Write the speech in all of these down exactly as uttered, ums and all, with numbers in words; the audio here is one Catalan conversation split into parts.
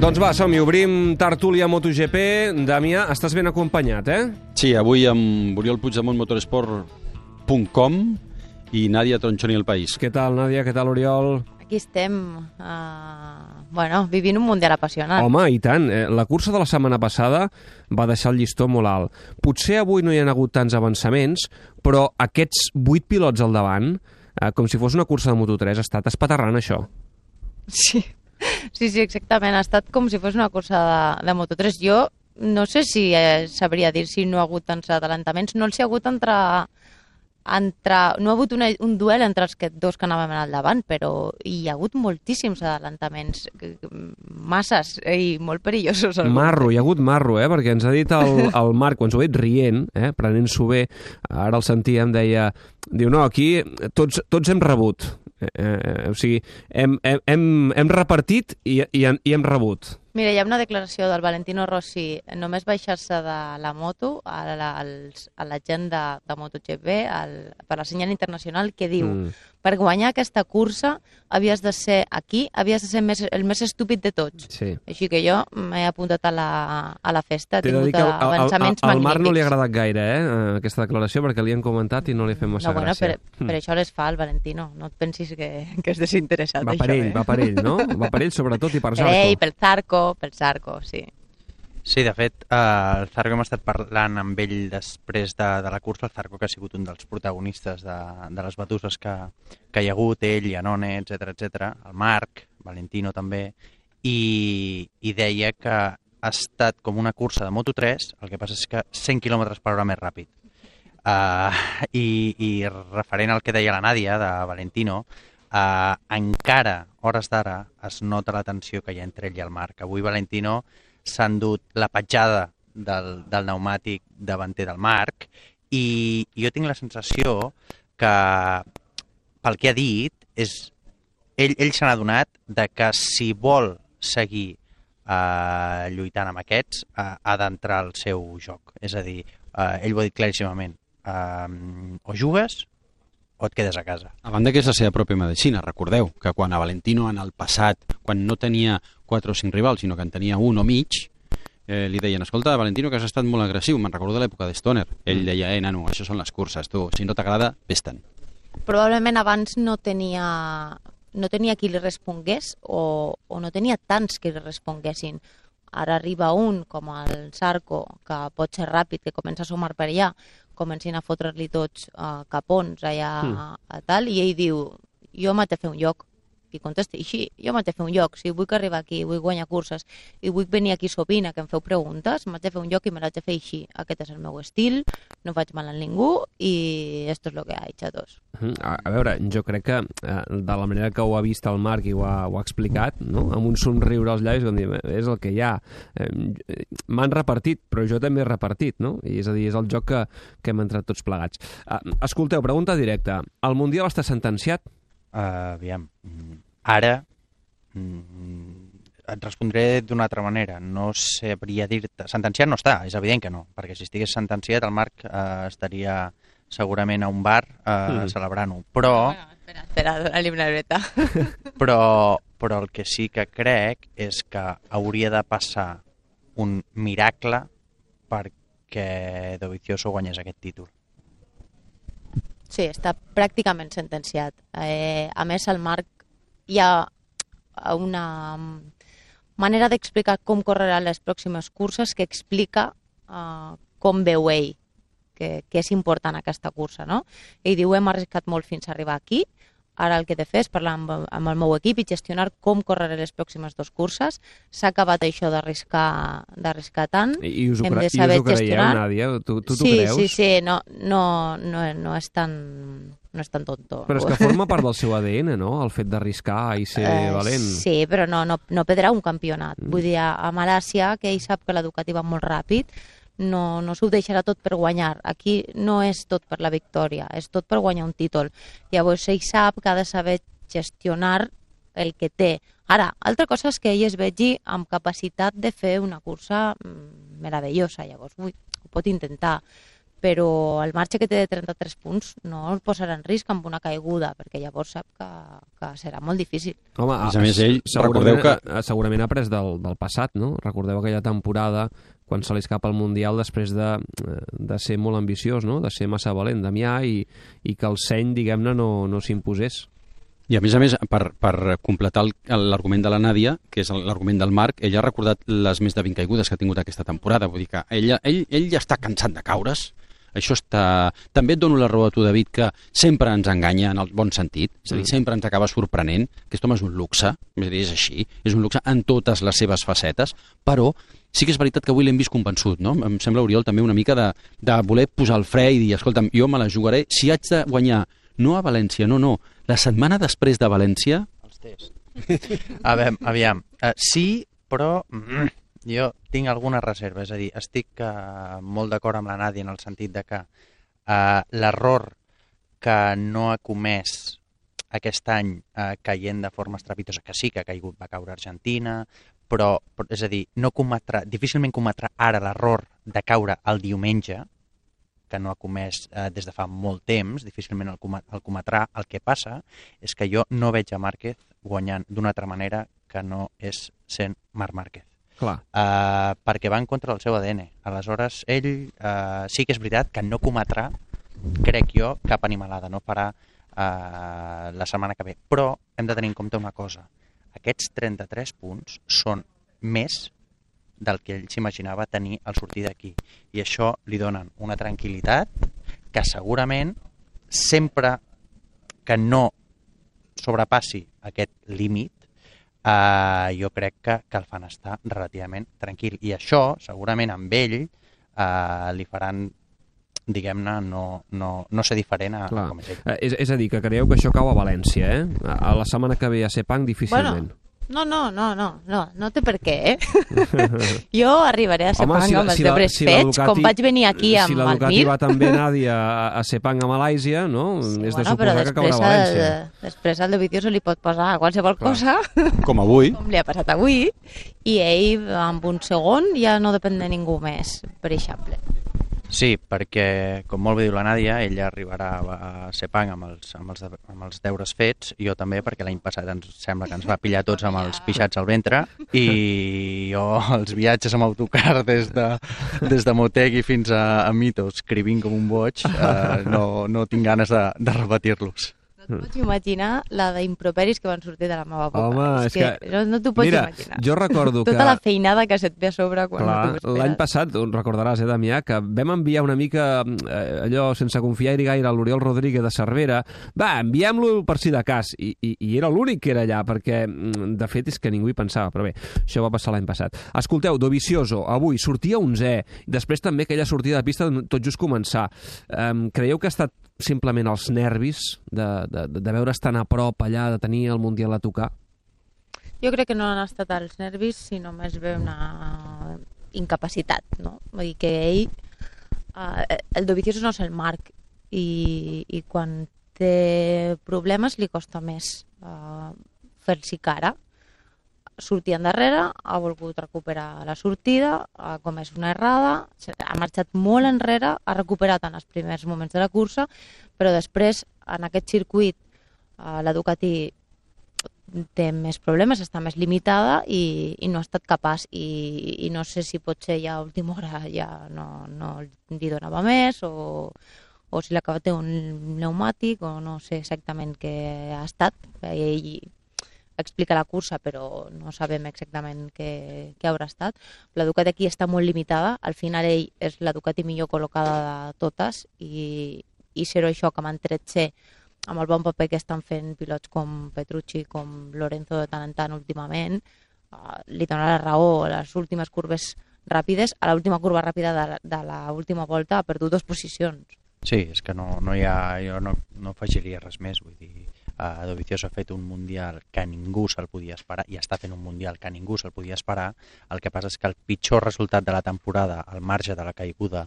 Doncs va, som-hi, obrim tertúlia MotoGP. Damià, estàs ben acompanyat, eh? Sí, avui amb Oriol Puigdemont, motorsport punt com i Nàdia Tronchoni El País. Què tal, Nàdia? Què tal, Oriol? Aquí estem, uh, bueno, vivint un mundial apassionant. Home, i tant. Eh, la cursa de la setmana passada va deixar el llistó molt alt. Potser avui no hi ha hagut tants avançaments, però aquests vuit pilots al davant, eh, com si fos una cursa de Moto tres, ha estat espaterrant, això. Sí. Sí, sí, exactament. Ha estat com si fos una cursa de, de Moto tres. Jo no sé si eh, sabria dir si no ha hagut tants adelantaments. No els hi ha hagut entre... entre no ha hagut una, un duel entre els que, dos que anàvem al davant, però hi ha hagut moltíssims adelantaments, masses i molt perillosos. Marro, hi ha hagut marro, eh? Perquè ens ha dit el, el Marc, quan s'ho ha dit rient, eh? prenent-s'ho bé, ara el sentíem, deia, diu, no, aquí tots, tots hem rebut. Eh, eh, o sigui, hem, hem, hem repartit i, i, i hem rebut. Mira, hi ha una declaració del Valentino Rossi, només baixar-se de la moto a la, a la gent de, de MotoGP, al, per la senyal internacional, que diu, mm. per guanyar aquesta cursa havies de ser aquí, havies de ser més, el més estúpid de tots. Sí. Així que jo m'he apuntat a la, a la festa, he tingut al, avançaments al, al, magnífics. Al Marc no li ha agradat gaire, eh, aquesta declaració, perquè li han comentat i no li ha fet massa no, bueno, gràcia. Per, per mm. això les fa el Valentino, no et pensis que, que és desinteressat. Va per això, ell, eh? va per ell, no? Va per ell sobretot i per Zarco. Per ell, pel Zarco, pel Zarco, sí. Sí, de fet, eh, el Zarco hem estat parlant amb ell després de, de la cursa, el Zarco que ha sigut un dels protagonistes de, de les batuses que, que hi ha hagut, ell, Iannone, etcètera, etcètera, el Marc, Valentino també, i, i deia que ha estat com una cursa de Moto tres, el que passa és que cent quilòmetres per hora més ràpid. Uh, i, I referent al que deia la Nàdia, de Valentino, Uh, encara, hores d'ara, es nota la tensió que hi ha entre ell i el Marc. Avui Valentino s'ha endut la petjada del, del pneumàtic davanter del Marc i jo tinc la sensació que, pel que ha dit, és, ell, ell s'ha adonat de que si vol seguir uh, lluitant amb aquests, uh, ha d'entrar al seu joc. És a dir, uh, ell ho ha dit claríssimament, uh, o jugues o et quedes a casa. A banda que és la seva pròpia medicina, recordeu que quan a Valentino en el passat, quan no tenia quatre o cinc rivals, sinó que en tenia un o mig, eh, li deien, escolta, Valentino, que has estat molt agressiu, me'n recordo de l'època de Stoner. Ell deia, eh, nano, això són les curses, tu, si no t'agrada, vés-te'n. Probablement abans no tenia, no tenia qui li respongués o, o no tenia tants que li responguessin. Ara arriba un, com el Zarco, que pot ser ràpid, que comença a sumar per allà, comencin a fotre-li tots uh, capons allà mm. a, a tal, i ell diu, jo m'he de fer un lloc. I contesta així, jo m'he de fer un lloc. Si vull arribar aquí, vull guanyar curses, i vull venir aquí sovint a que em feu preguntes, m'he de fer un lloc i me l'haig de fer així. Aquest és el meu estil, no faig mal a ningú, i esto és lo que hay, xatos. A, a veure, jo crec que eh, de la manera que ho ha vist el Marc i ho ha, ho ha explicat, no? Amb un somriure als llavis, dir, és el que hi ha. Eh, M'han repartit, però jo també he repartit, no? I és a dir, és el joc que, que hem entrat tots plegats. Eh, escolteu, pregunta directa. El Mundial està sentenciat? Uh, aviam, ara mm, et respondré d'una altra manera. No sabria dir-te... Sentenciat no està, és evident que no, perquè si estigués sentenciat el Marc uh, estaria segurament a un bar uh, mm. celebrant-ho. Però... Bueno, espera, espera, dona-li una breta. però, però el que sí que crec és que hauria de passar un miracle perquè Dovizioso guanyés aquest títol. Sí, està pràcticament sentenciat. Eh, a més, el Marc hi ha una manera d'explicar com correran les pròximes curses que explica uh, com veu ell, que, que és important aquesta cursa, no? Ell diu, hem arriscat molt fins a arribar aquí, ara el que he de fer és parlar amb, amb el meu equip i gestionar com correré les pròximes dues curses. S'ha acabat això d'arriscar d'arriscar tant. I us ho, cre i us ho creieu, Nàdia? Tu t'ho sí, creus? Sí, sí, no, no, no, no és tan... no és tan tonto. Però és que forma part del seu A D N, no?, el fet d'arriscar i ser uh, valent. Sí, però no, no, no perdrà un campionat. Mm. Vull dir, a Malàcia, que ell sap que la Ducati va molt ràpid, no, no s'ho deixarà tot per guanyar. Aquí no és tot per la victòria, és tot per guanyar un títol. Llavors ell sap que ha de saber gestionar el que té. Ara, altra cosa és que ell es vegi amb capacitat de fer una cursa meravellosa, llavors ui, ho pot intentar. però el marge que té de trenta-tres punts no el posarà en risc amb una caiguda, perquè llavors sap que, que serà molt difícil. Home, a més, ell, segurament, recordeu que... segurament ha après del, del passat, no? Recordeu aquella temporada quan se li escapa el Mundial després de, de ser molt ambiciós, no? De ser massa valent, Damià, i, i que el seny, diguem-ne, no, no s'imposés. I a més a més, per, per completar l'argument de la Nàdia, que és l'argument del Marc, ell ha recordat les més de vint caigudes que ha tingut aquesta temporada. Vull dir que ell, ell, ell ja està cansat de caure's. Això està... També et dono la raó a tu, David, que sempre ens enganya en el bon sentit, és a dir, sempre ens acaba sorprenent. Aquest home és un luxe, és a dir, és així, és un luxe en totes les seves facetes, però sí que és veritat que avui l'hem vist convençut, no? Em sembla, Oriol, també una mica de, de voler posar el fre i dir, escolta'm, jo me la jugaré, si haig de guanyar, no a València, no, no, la setmana després de València... Els tests. A veure, aviam, uh, sí, però... Mm, jo tinc alguna reserva, és a dir, estic uh, molt d'acord amb la Nàdia en el sentit de que uh, l'error que no ha comès aquest any uh, caient de forma estrepitosa, que sí que ha caigut, va caure Argentina, però, però és a dir, no cometrà, difícilment cometrà ara l'error de caure el diumenge, que no ha comès uh, des de fa molt temps, difícilment el, com el cometrà. El que passa és que jo no veig a Márquez guanyant d'una altra manera que no és sent Marc Márquez. Clar. Uh, perquè va en contra del seu A D N. Aleshores, ell uh, sí que és veritat que no cometrà, crec jo, cap animalada, no farà uh, la setmana que ve. Però hem de tenir en compte una cosa. Aquests trenta-tres punts són més del que ell s'imaginava tenir al sortir d'aquí. I això li donen una tranquil·litat que segurament sempre que no sobrepassi aquest límit, Uh, jo crec que, que el fan estar relativament tranquil. I això, segurament, amb ell uh, li faran, diguem-ne, no, no, no ser diferent a, a com és ell. Uh, és, és a dir, que creieu que això cau a València, eh? A la setmana que ve a Sepang, difícilment. Bueno, no, no, no, no, no, no té per què, eh? Jo arribaré a Sepang si amb els si deures si fets, com vaig venir aquí amb si el Mir. Si la Ducati va també, Nàdia, a, a Sepang, a Malàisia, no? Sí, és bueno, de suposar que caurà a València. El, després al Dovizioso li pot posar qualsevol Clar. cosa, com avui, com li ha passat avui, i ell amb un segon ja no depèn de ningú més, per exemple. Sí, perquè, com molt bé diu la Nàdia, ella arribarà a Sepang amb els, amb els, de, amb els deures fets, i jo també, perquè l'any passat ens sembla que ens va pillar tots amb els pixats al ventre, i jo els viatges amb autocar des de, des de Motegi fins a, a Mito, escrivint com un boig, eh, no, no tinc ganes de, de repetir-los. No t'ho pots imaginar la d'improperis que van sortir de la meva boca. Home, és, és que, que... no, no t'ho pots Mira, imaginar. jo recordo Tota que... Tota la feinada que se't ve a sobre quan Clar, no t'ho esperes. l'any passat, recordaràs, eh, Damià, que vam enviar una mica eh, allò sense confiar-hi gaire a l'Oriol Rodríguez de Cervera. Va, enviem-lo per si de cas. I, i, i era l'únic que era allà, perquè de fet és que ningú hi pensava. Però bé, això va passar l'any passat. Escolteu, Dovizioso, avui sortia onzè, després també aquella sortida de pista tot just començar. Um, creieu que ha estat simplement els nervis de, de, de veure's tan a prop allà, de tenir el Mundial a tocar? Jo crec que no han estat els nervis, sinó més bé una incapacitat, no? Vull dir que ell, eh, el Dovizioso no és el Marc, i, i quan té problemes li costa més eh, fer-s'hi cara. Sortir endarrere, ha volgut recuperar la sortida, ha comès una errada, ha marxat molt enrere, ha recuperat en els primers moments de la cursa, però després, en aquest circuit, la Ducati té més problemes, està més limitada i, i no ha estat capaç. I, i no sé si potser ja a última hora ja no, no li donava més o, o si l'acaba té un pneumàtic o no sé exactament què ha estat. Ell explica la cursa, però no sabem exactament què, què haurà estat. La Ducati aquí està molt limitada, al final ell és la Ducati millor col·locada de totes i, i ser això que m'han tret ser amb el bon paper que estan fent pilots com Petrucci, com Lorenzo de tant en tant últimament, uh, li dona la raó a les últimes curves ràpides. A l'última curva ràpida de, de l'última volta ha perdut dues posicions. Sí, és que no, no hi ha, jo no, no afegiria res més, vull dir, Uh, Dovizioso ha fet un Mundial que ningú se'l podia esperar i està fent un Mundial que ningú se'l podia esperar. El que passa és que el pitjor resultat de la temporada, al marge de la caiguda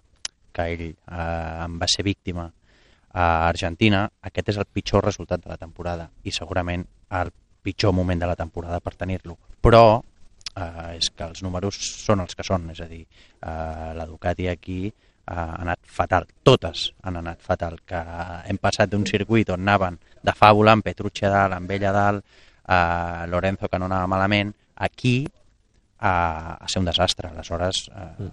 que ell uh, en va ser víctima a Argentina, aquest és el pitjor resultat de la temporada i segurament el pitjor moment de la temporada per tenir-lo. Però uh, és que els números són els que són, és a dir, uh, la Ducati aquí ha anat fatal, totes han anat fatal, que hem passat d'un circuit on anaven de fàbula, amb Petrucci a dalt, amb ell a dalt, a Lorenzo que no anava malament, aquí a, a ser un desastre. Aleshores eh,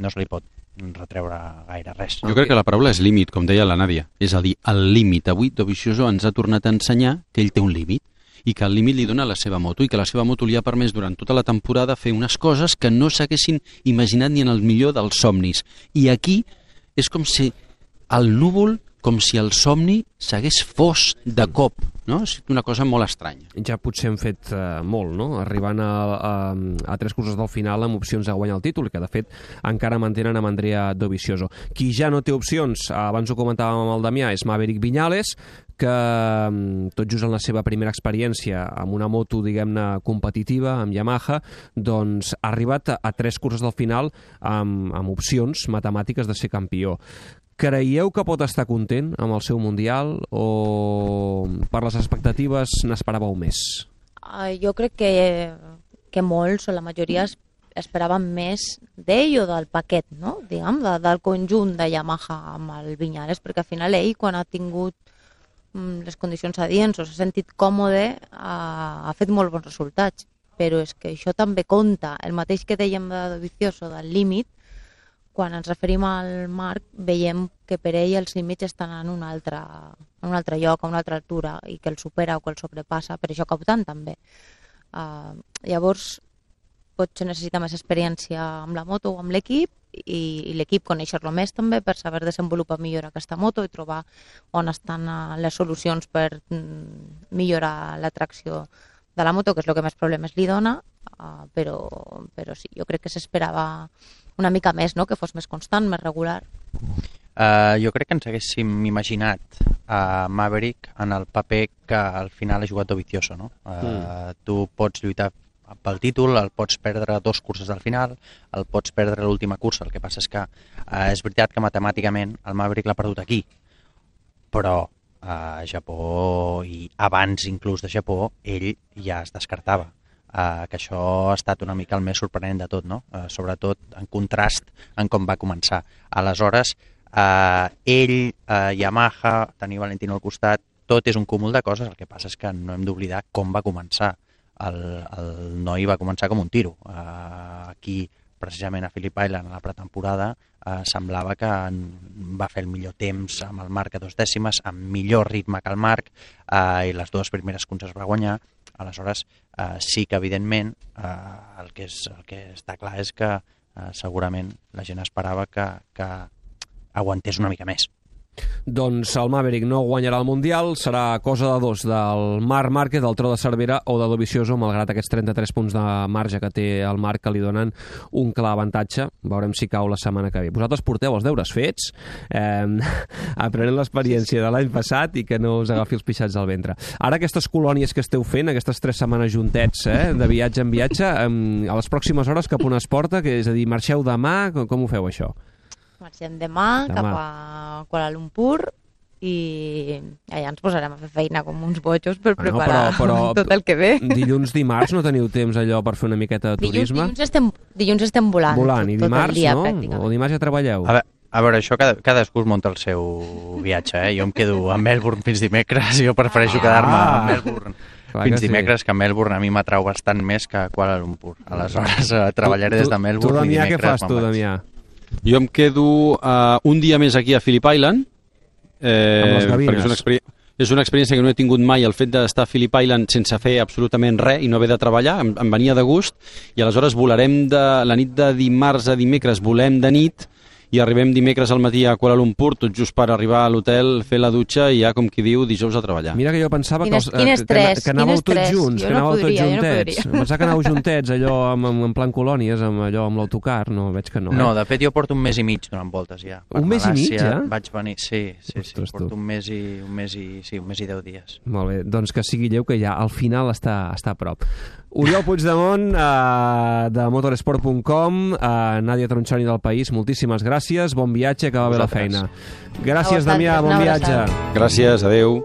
no se li pot retreure gaire res. Jo crec que la paraula és límit, com deia la Nàdia. És a dir, el límit. Avui Dovizioso ens ha tornat a ensenyar que ell té un límit i que el límit li dona la seva moto i que la seva moto li ha permès durant tota la temporada fer unes coses que no s'haguessin imaginat ni en el millor dels somnis. I aquí és com si el núvol, com si el somni s'hagués fos de cop, no? És una cosa molt estranya. Ja potser hem fet uh, molt, no? Arribant a, a, a tres curses del final amb opcions de guanyar el títol, que de fet encara mantenen amb Andrea Dovizioso. Qui ja no té opcions, abans ho comentàvem amb el Damià, és Maverick Viñales, que tot just en la seva primera experiència amb una moto, diguem-ne, competitiva, amb Yamaha, doncs ha arribat a, a tres curses del final amb, amb opcions matemàtiques de ser campió. Creieu que pot estar content amb el seu Mundial o per les expectatives n'esperàveu més? Uh, jo crec que, que molts o la majoria esperaven més d'ell o del paquet, no? Diguem, de, del conjunt de Yamaha amb el Viñales, perquè al final ell, quan ha tingut mm, les condicions adients o s'ha sentit còmode, ha, ha fet molt bons resultats. Però és que això també compta. El mateix que dèiem de Dovizioso, del límit, quan ens referim al Marc, veiem que per ell els límits estan en un altre, en un altre lloc, a una altra altura, i que el supera o que el sobrepassa, per això cau tant també. Uh, llavors, potser necessita més experiència amb la moto o amb l'equip, i, i l'equip conèixer-lo més també per saber desenvolupar millor aquesta moto i trobar on estan les solucions per mm, millorar la tracció de la moto, que és el que més problemes li dona, uh, però, però sí, jo crec que s'esperava una mica més, no? Que fos més constant, més regular. Uh, jo crec que ens haguéssim imaginat a uh, Maverick en el paper que al final ha jugat Dovizioso, no? Uh, mm. Tu pots lluitar pel títol, el pots perdre dos curses al final, el pots perdre l'última cursa, el que passa és que uh, és veritat que matemàticament el Maverick l'ha perdut aquí, però a Japó i abans inclús de Japó ell ja es descartava. Uh, que això ha estat una mica el més sorprenent de tot, no? Uh, sobretot en contrast en com va començar. Aleshores, uh, ell, uh, Yamaha, tenir Valentino al costat, tot és un cúmul de coses, el que passa és que no hem d'oblidar com va començar. El, el noi va començar com un tiro. Uh, aquí, precisament a Phillip Island, a la pretemporada, uh, semblava que va fer el millor temps amb el Marc a dos dècimes, amb millor ritme que el Marc, uh, i les dues primeres curses va guanyar. Aleshores, eh, sí que, evidentment, eh, el, que és, el que està clar és que eh, segurament la gent esperava que, que aguantés una mica més. Doncs el Maverick no guanyarà el Mundial, serà cosa de dos, del Marc Márquez, del Tro de Cervera o de Dovizioso, malgrat aquests trenta-tres punts de marge que té el Marc, que li donen un clar avantatge. Veurem si cau la setmana que ve. Vosaltres porteu els deures fets, eh, aprenent l'experiència de l'any passat i que no us agafi els pixats al ventre. Ara aquestes colònies que esteu fent, aquestes tres setmanes juntets, eh, de viatge en viatge, eh, a les pròximes hores cap on es porta, que és a dir, marxeu demà, com, com ho feu això? Marxem demà, demà cap a Kuala Lumpur i allà ens posarem a fer feina com uns bojos per preparar no, però, però, tot el que ve. Dilluns, dimarts no teniu temps allò per fer una miqueta de turisme? Dilluns, dilluns, estem, dilluns estem volant. Volant, tot, i dimarts tot dia, no? O dimarts ja treballeu? A veure, a veure això cada, cadascú es munta el seu viatge, eh? Jo em quedo a Melbourne fins dimecres, jo prefereixo ah, quedar-me a Melbourne fins dimecres, sí. Que a Melbourne a mi m'atrau bastant més que a Kuala Lumpur. Aleshores eh, treballaré tu, des de Melbourne tu, Damià, i dimecres. Què fas tu, Damià? Jo em quedo uh, un dia més aquí a Phillip Island. Eh, amb les gavines. És una, experi és una experiència que no he tingut mai, el fet d'estar a Phillip Island sense fer absolutament res i no haver de treballar, em, em venia de gust, i aleshores volarem de la nit de dimarts a dimecres, volem de nit, i arribem dimecres al matí a Kuala Lumpur, tot just per arribar a l'hotel, fer la dutxa i ja, com qui diu, dijous a treballar. Mira que jo pensava quin que, els, quin estrès, que, que anàveu tots estrès. junts, jo que anàveu no podria, tots juntets. Jo no pensava que anàveu juntets, allò amb, amb, en plan colònies, amb allò amb l'autocar, no, veig que no. No, eh? de fet jo porto un mes i mig donant voltes ja. Per un mes i mig ja? Vaig venir, sí, sí, sí, Ostres, porto tu. un mes i un mes i sí, un mes i deu dies. Molt bé, doncs que sigui lleu que ja al final està, està a prop. Oriol Puigdemont, eh, de motorsport punt com, eh, Nàdia Tronchoni del País, moltíssimes gràcies, bon viatge, que va bé la feina. Gràcies, Damià, bon viatge. Gràcies, adeu.